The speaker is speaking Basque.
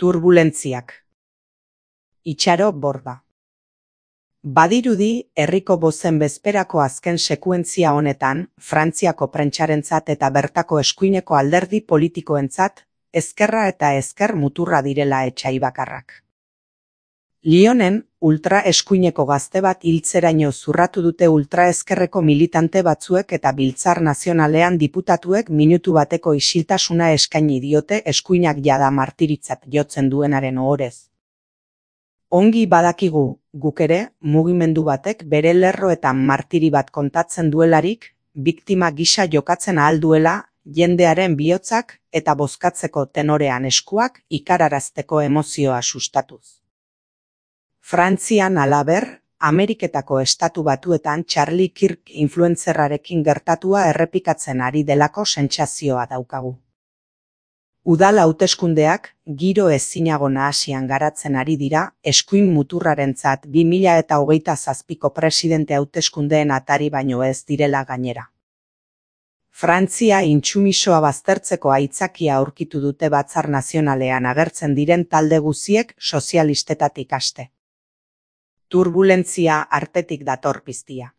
Turbulentziak. Itxaro borda. Badirudi, herriko bozen bezperako azken sekuentzia honetan, Frantziako prentsarentzat eta bertako eskuineko alderdi politikoentzat, ezkerra eta ezker muturra direla etsai bakarrak. Lyonen, ultra-eskuineko gazte bat hiltzeraino zurratu dute ultraezkerreko militante batzuek eta Biltzar Nazionalean diputatuek minutu bateko isiltasuna eskaini diote eskuinak jada martiritzat jotzen duenaren ohorez. Ongi badakigu, guk ere, mugimendu batek bere lerroetan martiri bat kontatzen duelarik, biktima gisa jokatzen ahal duela, jendearen bihotzak eta bozkatzeko tenorean eskuak ikararazteko emozioa sustatuz. Frantzian halaber, Ameriketako Estatu Batuetan Charlie Kirk influencerrarekin gertatua errepikatzen ari delako sentsazioa daukagu. Udal hauteskundeak giro ezinago nahasian garatzen ari dira eskuin muturrarentzat 2027ko presidente hauteskundeen atari baino ez direla gainera. Frantzia intsumisoa baztertzeko aitzakia aurkitu dute Batzar Nazionalean agertzen diren talde guziek sozialistetatik haste. Turbulentzia artetik dator piztia.